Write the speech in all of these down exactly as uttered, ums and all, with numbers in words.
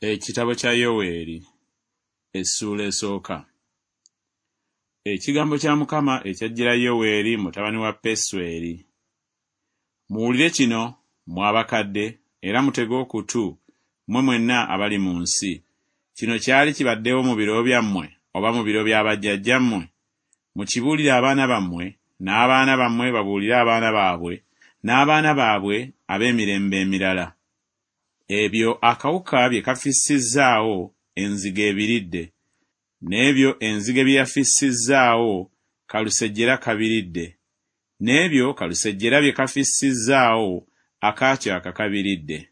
Ekitabo kya Yoweeri essuula esooka. Ekigambo kya Mukama ekyajjira Yoweeri mutabani wa Pesweri. Muwulire kino, mmwe abakadde, era mutege okutu, mmwe mwenna abali mu nsi. Kino kyali kibaddewo mu biro byammwe oba mu biro bya bajjajjammwe? Mukibuulire abaana bammwe, n'abaana bammwe babuulire abaana baabwe, n'abaana baabwe ab'emirembe emirala. Ebyo akawuka bye kafissizzaawo enzige ebiridde, n'ebyo enzige bye yafissizzaawo kalusejjera kabiridde, n'ebyo kalusejjera bye kafissizzaawo akaakyaka kabiridde.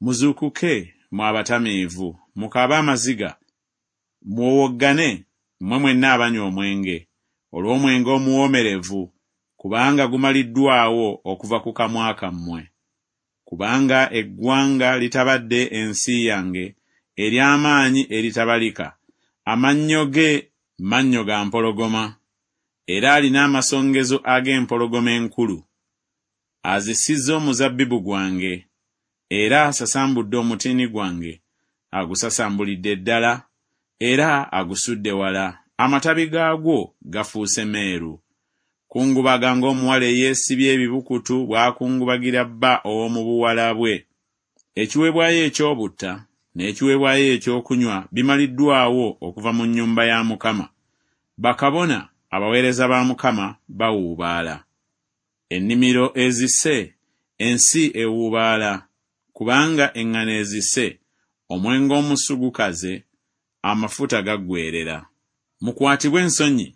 Muzuukuke, mmwe abatamiivu, mukaabe amaziga, muwowoggane, mmwe mwenna abanywa omwenge, olw'omwenge omuwoomerevu, kubanga gumaliddwawo okuva ku kamwa kammwe. Kubanga eggwanga litabadde ensi yange, ery'amaanyi eritabalika, amannyo ge mannyo ga mpologoma, era alina amasongezo ag'empologoma enkulu. Azisizza omuzabbibu gwange, era asasambudde omutiini gwange, agusasambulidde ddala, era agusudde wala, amatabi gaagwo gafuuse meeru. Kungubaga ng'omuwala eyeesibye ebibukutu bw'akungubagira bba ow'omu buwala bwe. Ekiweebwayo eky'obutta n'ekiweebwayo ekyokunywa bimaliddwawo okuva mu nnyumba ya Mukama. Bakabona abaweereza ba Mukama bawuubaala. Ennimiro ezise, ensi ewuubaala, kubanga eŋŋano ezise, omwenge omusu gukaze, amafuta gaggweerera. Mukwatibwe ensonyi,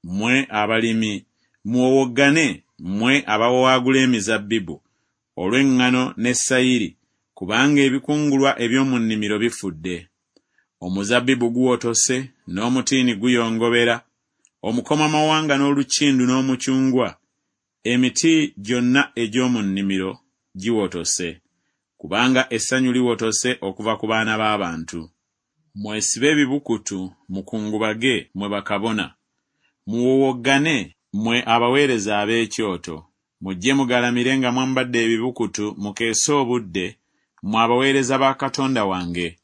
mmwe abalimi, muwowoggane, mmwe abawawaagula emizabbibu, olw'eŋŋano ne sayiri, kubanga ebikungulwa eby'omu nnimiro bifudde. Omuzabbibu guwotose, n'omutiini guyongobera, omukomamawanga n'olukindu n'omucungwa, emiti gyonna egy'omu nnimiro giwotose, kubanga essanyu liwotose okuva ku baana b'abantu. Mwesibe ebibukutu, mukungubage, mmwe bakabona. Muwowoggane, mmwe abaweereza ab'ekyoto. Mujje mugalamire nga mwambadde ebibukutu, mukeese obudde, mmwe abaweereza ba Katonda wange.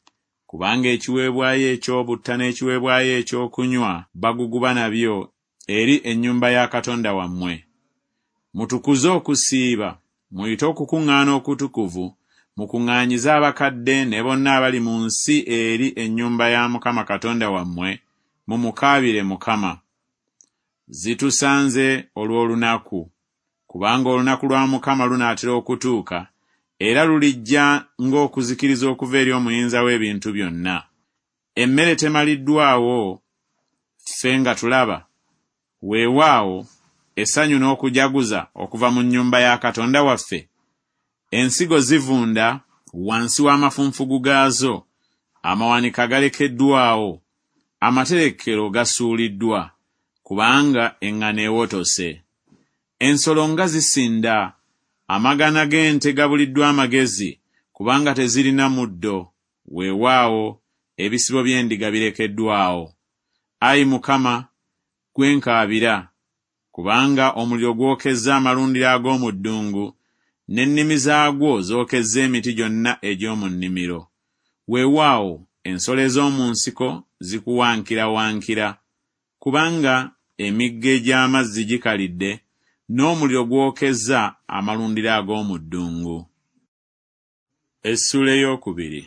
Kubanga ekiweebwayo eky'obutta n'ekiweebwayo ekyokunywa baguguba nabyo eri ennyumba ya Katonda wammwe. Mutukuze okusiiba, muyite okukuŋŋaana okutukuvu, mukuŋŋaanyize abakadde ne bonna abali mu nsi eri ennyumba ya Mukama Katonda wammwe, mumukaabire Mukama. Zitusanze olw'olunaku, kubanga olunaku lwa Mukama lunaatera okutuuka, era lulijja ng'okuzikiriza okuva eri Omuyinza w'ebintu byonna. Emmere temaliddwawo, ffe nga tulaba? Weewaawo, essanyu n'okujaguza okuva mu nnyumba ya Katonda waffe. Ensigo zivunda wansi w'amafunfugu gaazo, amawanika galekeddwawo, amaterekero gasuuliddwa, kubanga eŋŋano ewotose. Ensolo nga zisinda, amagana g'ente gabuliddwa amagezi, kubanga tezirina muddo, weewaawo, ebisibo by'endiga birekeddwawo. Ayi Mukama, ggwe nkaabira, kubanga omuliro gwokezza amalundiro ag'omu ddungu, n'ennimi zaagwo zookezza emiti gyonna egy'omu nnimiro. Weewaawo, ensolo ez'omu nsiko zikuwankirawankira, kubanga emigga egy'amazzi gikalidde, n'omuliro gwokezza amalundiro ag'omu ddungu. Essuula ey'okubiri.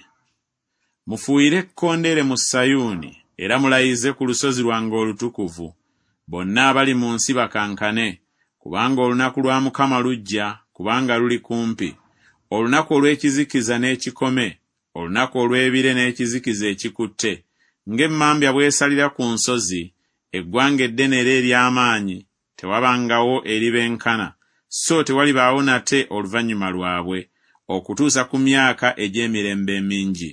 Mufuuyire ekkondeere mu Sayuuni, era mulayize ku lusozi lwange olutukuvu. Bonna abali mu nsi bakankane, kubanga olunaku lwa Mukama lujja, kubanga luli kumpi. Olunaku olw'ekizikiza n'ekikome, olunaku olw'ebire n'ekizikiza ekikutte, ng'emmambya bw'esalira ku nsozi, eggwanga eddene era ery'amaanyi, tewabangawo eribenkana, so tewalibaawo nate oluvannyuma lwabwe, okutuusa ku myaka egy'emirembe emingi.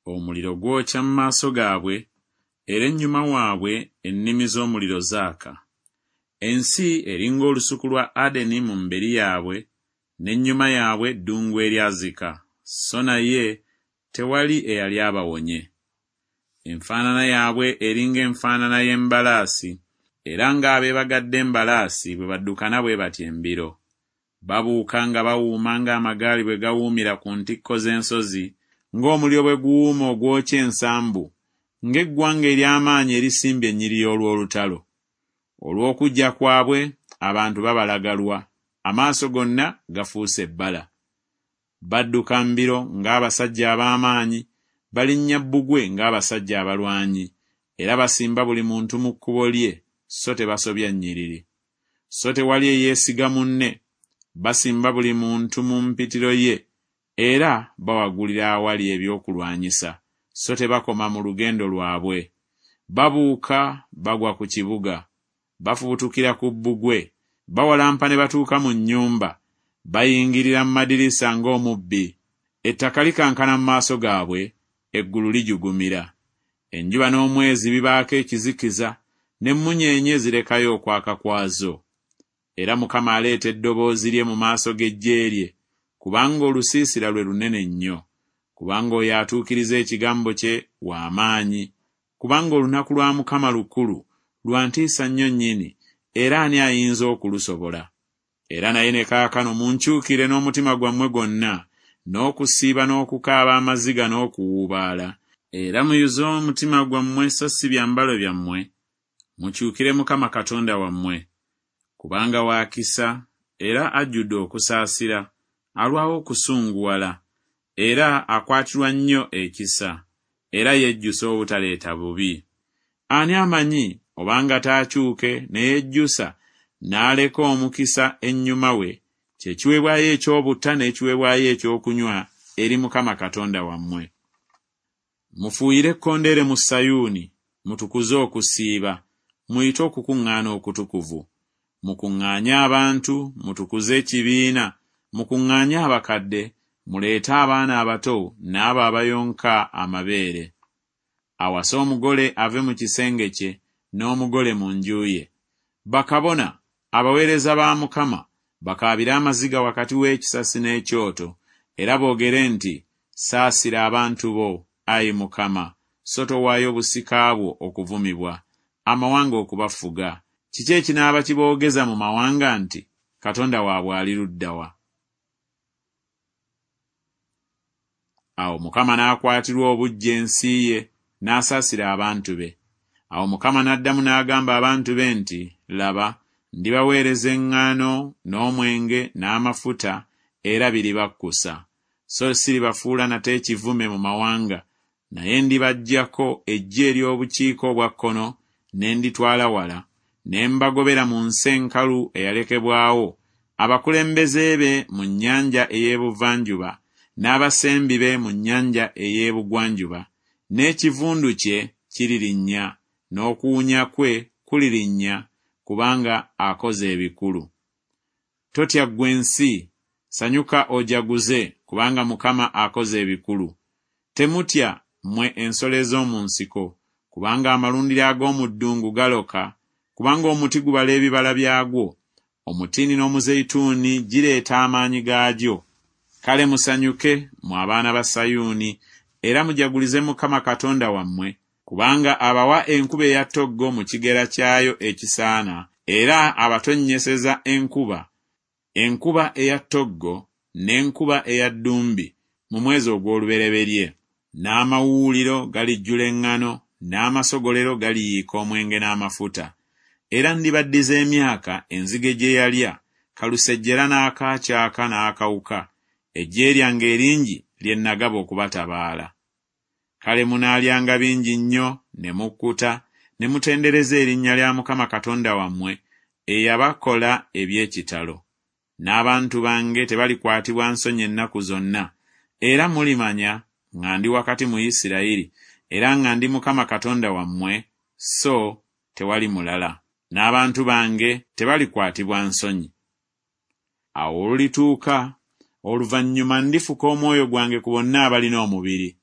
Omuliro gwokya mu maaso gaabwe, era ennyuma waabwe ennimi z'omuliro zaaka. Ensi eri ng'olusuku lwa Adeni mu mberi yaabwe, n'ennyuma yaabwe ddungu eryazika, so naye tewali eyali abawonye. Enfaanana yaabwe eri ng'enfaanana y'embalaasi, era ng'abeebagadde embalaasi bwe baddukana bwe batyo embiro. Babuuka nga bawuuma ng'amagaali bwe gawuumira ku ntikko z'ensozi ng'omuliro bwe guwuuma ogwokya ensambu, ng'eggwanga ery'amaanyi erisimbye ennyiriri olw'olutalo. Olw'okujja kwabwe abantu babalagalwa, amaaso gonna gafuuse ebbala. Badduka mbiro ng'abasajja ab'amaanyi, balinnya bbugwe ng'abasajja abalwanyi, era basimba buli muntu mu kkubo lye, so tebasobya nnyiriri. So tewali eyeesiga munne, basimba buli muntu mu mpitiro ye, era bawagulira awali ebyokulwanyisa, so tebakoma mu lugendo lwabwe. Babuuka bagwa ku kibuga, bafubutukira ku bbugwe, bawalampa ne batuuka mu nnyumba, bayingirira mu madirisa ng'omubbi. Ettaka likankana mu maaso gaabwe, eggulu lijugumira. Enjuba n'omwezi bibaako ekizikiza, n'emmunyeenye zirekayo okwaka kwazo. Era Mukama aleeta eddoboozi lye mu maaso g'eggye lye, kubanga olusiisira lwe lunene nnyo, kubanga oyo atuukiriza ekigambo kye wa maanyi, kubanga olunaku lwa Mukama lukulu, lwa ntiisa nnyo nnyini, era ani ayinza okulusobola? Era naye ne kaakano munkyukire n'omutima gwammwe gwonna, n'okusiiba n'okukaaba amaziga n'okuwuubaala, era muyuze omutima gwammwe so si byambalo byammwe, mukyukire Mukama Katonda wammwe. Kubanga wa kisa era ajjudde okusaasira, alwawo okusunguwala, era akwatirwa nnyo ekisa, era yejjusa obutaleeta bubi. Ani amanyi obanga taakyuke ne yejjusa n'aleka omukisa ennyuma we, kye kiweebwayo eky'obutta n'ekiweebwayo ekyokunywa eri Mukama Katonda wammwe. Mufuuyire ekkondeere mu Sayuuni, mutukuze okusiiba, muyite okukuŋŋaana okutukuvu. Mukuŋŋaanye abantu, mutukuze ekibiina, mukuŋŋaanye abakadde, muleete abaana abato n'abo abayonka amabeere. Awase omugole ave mu kisenge kye, n'omugole mu nju ye. Bakabona, abaweereza ba Mukama, bakaabire amaziga wakati w'ekisasi n'ekyoto, era boogere nti, Saasira abantu bo, ayi Mukama, so towaayo busika bwo okuvumibwa, amawanga okubafuga. Kiki ekinaaba kiboogeza mu mawanga nti, Katonda waabwe ali ludda wa? Awo Mukama n'akwatirwa obuggya ensi ye, n'asaasira abantu be. Awo Mukama n'addamu n'agamba abantu be nti, Laba, ndibaweereza eŋŋaano n'omwenge n'amafuta, era biribakkusa. So siribafuula nate ekivume mu mawanga, naye ndibaggyako eggye ery'obukiika obwa kkono ne nditwala wala, ne mbagobera mu nsi enkalu eyalekebwawo, abakulembeze be mu nnyanja ey'ebuvanjuba, n'abasembi be mu nnyanja ey'ebugwanjuba, n'ekivundu kye kiririnnya, n'okuwunya kwe kulirinnya, kubanga akoze ebikulu. Totya ggwe ensi, sanyuka ojaguze, kubanga Mukama akoze ebikulu. Temutya mmwe ensolo ez'omu nsiko, kubanga amalundiro ag'omu ddungu galoka, kubanga omuti gubala ebibala byagwo, omutiini n'omuzeyituuni gireeta amaanyi gaagyo. Kale musanyuke mmwe abaana ba Sayuuni, era mujagulize Mukama Katonda wammwe, kubanga abawa enkuba eya ttoggo mu kigera kyayo ekisaana, era abatonnyeseza enkuba, enkuba eya ttoggo n'enkuba eya ddumbi mu mwezi ogw'olubereberye. N'amawuuliro galijjula eŋŋano, n'amasogolero galiyiika omwenge n'amafuta. Era ndibaddiza emyaka enzige gye yalya, kalusejjera n'akaakyaka n'akawuka, eggye lyange eringi lye nagaba okubatabaala. Kale munaalyanga bingi nnyo ne mukkuta, ne mutendereza erinnya lya Mukama Katonda wammwe eyabakola eby'ekitalo. N'abantu bange tebalikwatibwa nsonyi ennaku zonna, era mulimanya nga ndi wakati mu Isirayiri, era nga ndi Mukama Katonda wammwe, so tewali mulala. N'abantu bange tebalikwatibwa nsonyi. Awo olulituuka, oluvannyuma ndifuka omwoyo gwange ku bonna abalina omubiri.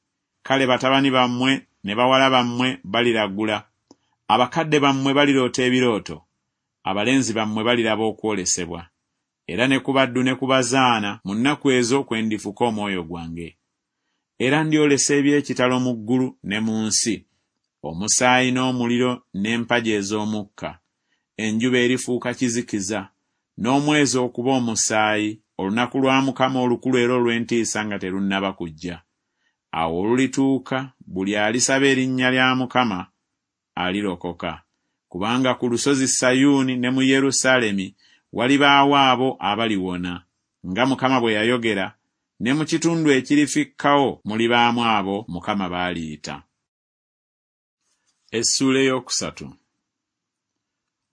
Kale batabani bammwe ne bawala bammwe baliragula, abakadde bammwe baliroota ebirooto, abalenzi bammwe baliraba okwolesebwa. Era ne ku baddu ne ku bazaana mu nnaku ezo kwe ndifuka omwoyo gwange. Era ndyolesa eby'ekitalo mu ggulu ne mu nsi, omusaayi n'omuliro n'empagi ez'omukka. Enjuba erifuuka kizikiza, n'omwezi okuba omusaayi, olunaku lwa Mukama olukulu era olw'entiisa nga terunnaba kujja. Awo olulituuka buli alisaba erinnya lya Mukama alirokoka, kubanga ku lusozi Sayuuni ne mu Yerusaalemi walibaawo abo abaliwona, nga Mukama bwe yayogera, ne mu kitundu ekirifikkawo mulibaamu abo Mukama b'aliyita. Essuula ey'okusatu.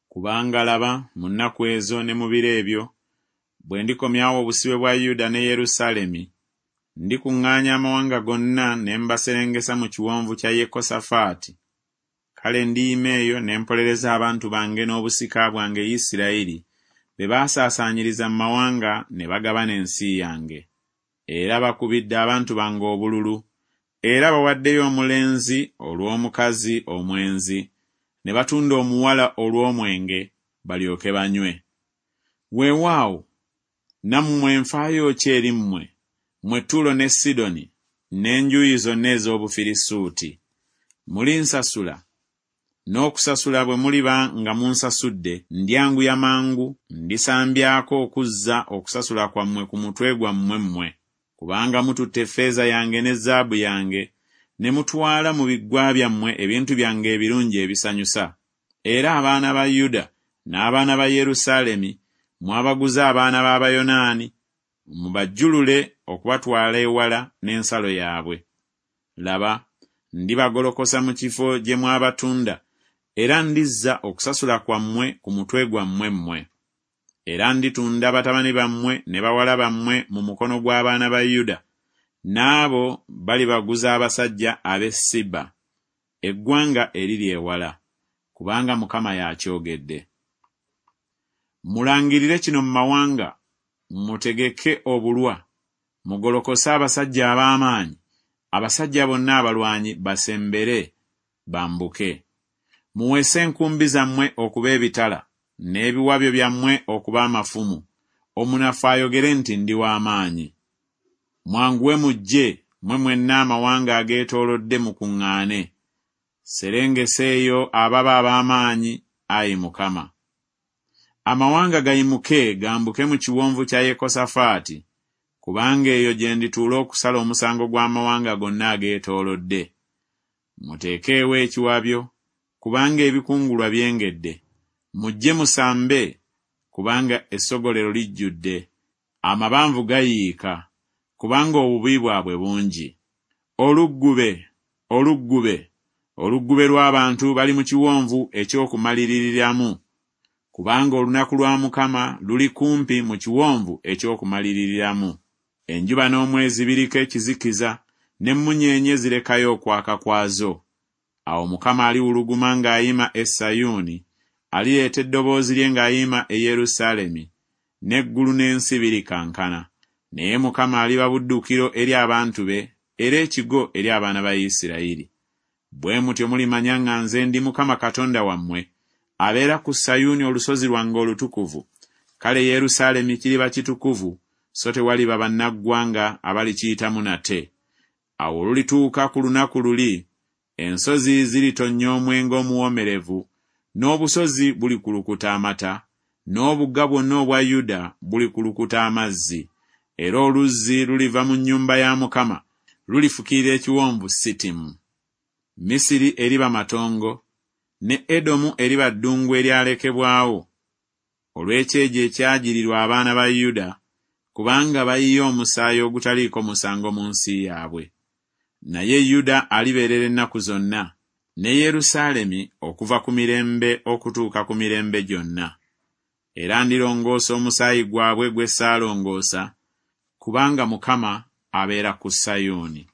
Kubanga laba, mu nnaku ezo ne mu biro ebyo, bwe ndikomyawo obusibe bwa Yuda ne Yerusaalemi, ndikuŋŋaanya amawanga gonna ne mbaserengesa mu kiwonvu kya Yekosafaati. Kale ndiyima eyo ne mpolereza abantu bange n'obusika bwange Isirayiri, be baasaasaanyiriza mu mawanga ne bagabana ensi yange. Era bakubidde abantu bange obululu, era bawaddeyo omulenzi olw'omukazi omwenzi, ne batunda omuwala olw'omwenge, balyoke banywe. Weewaawo, nammwe nfaayo ki eri mmwe, mmwe Ttuulo ne Sidoni, n'enjuyi zonna ez'Obufirisuuti? Mulinsasula, n'okusasula bwe muliba nga munsasudde, ndyanguya mangu, ndisambyako okuzza okusasula kwammwe ku mutwe gwammwe mmwe. Kubanga mututte effeeza yange ne zaabu yange, ne mutwala mu biggwa byammwe ebintu byange ebirungi ebisanyusa. Era abaana ba Yuda n'abaana ba Yerusaalemi mwabaguza abaana b'Abayonaani, mubajjulule okubatwala ewala n'ensalo yaabwe. Laba, ndibagolokosa mu kifo gye mwabatunda, era ndizza okusasula kwammwe ku mutwe gwammwe mmwe. Era nditunda batabani bammwe ne bawala bammwe mu mukono gw'abaana ba Yuda, n'abo balibaguza abasajja ab'e Siba, eggwanga eriri ewala, kubanga Mukama y'akyogedde. Mulangirire kino mu mawanga, mutegeke obulwa, mugolokose abasajja ab'amaanyi, abasajja bonna abalwanyi basembere, bambuke. Muweese enkumbi zammwe okuba ebitala, n'ebiwabyo byammwe okuba amafumu, omunafu ayogere nti ndi w'amaanyi. Mwanguwe mujje, mmwe mwenna amawanga ageetoolodde mukuŋŋaane. Serengesa eyo ababa ab'amaanyi, ayi Mukama. Amawanga gayimuke gambuke mu kiwonvu kya Yekosafaati, kubanga eyo gye ndituula okusala omusango gw'amawanga gonna ageetoolodde. Muteekeewo ekiwabyo, kubanga ebikungulwa byengedde. Mujje musambe, kubanga essogolero lijjudde. Amabanvu gayiika, kubanga obubi bwabwe bungi. Oluggube, oluggube, oluggube lw'abantu bali mu kiwonvu eky'okumaliririramu, kubanga olunaku lwa Mukama luli kumpi mu kiwonvu eky'okumaliririramu. Enjuba n'omwezi biriko ekizikiza, n'emmunyeenye zirekayo okwaka kwazo. Awo Mukama aliwuluguma ng'ayima e Sayuuni, alireeta eddoboozi lye ng'ayima e Yerusaalemi, n'eggulu n'ensi birikankana. Naye Mukama aliba buddukiro eri abantu be, era ekigo eri abaana ba Isirayiri. Bwe mutyo mulimanya nga nze ndi Mukama Katonda wammwe, abeera ku Sayuuni olusozi lwange olutukuvu. Kale Yerusaalemi kiriba kitukuvu, so tewaliba bannaggwanga abalikiyitamu nate. Awo olulituuka ku lunaku luli, ensozi ziritonnya omwenge omuwoomerevu, n'obusozi bulikulukuta amata, n'obugga bwonna obwa Yuda bulikulukuta amazzi. Era oluzzi luliva mu nnyumba ya Mukama, lulifukirira ekiwonvu Sitimu. Misiri eriba matongo, ne Edomu eriba ddungu eryalekebwawo, olw'ekyejo ekyagirirwa abaana ba Yuda, kubanga bayiye omusaayi ogutaliiko musango mu nsi yaabwe. Naye Yuda alibeerera ennaku zonna, ne Yerusaalemi okuva ku mirembe okutuuka ku mirembe gyonna. Era ndirongoosa omusaayi gwabwe gwe ssaalongoosa, kubanga Mukama abeera ku Sayuuni.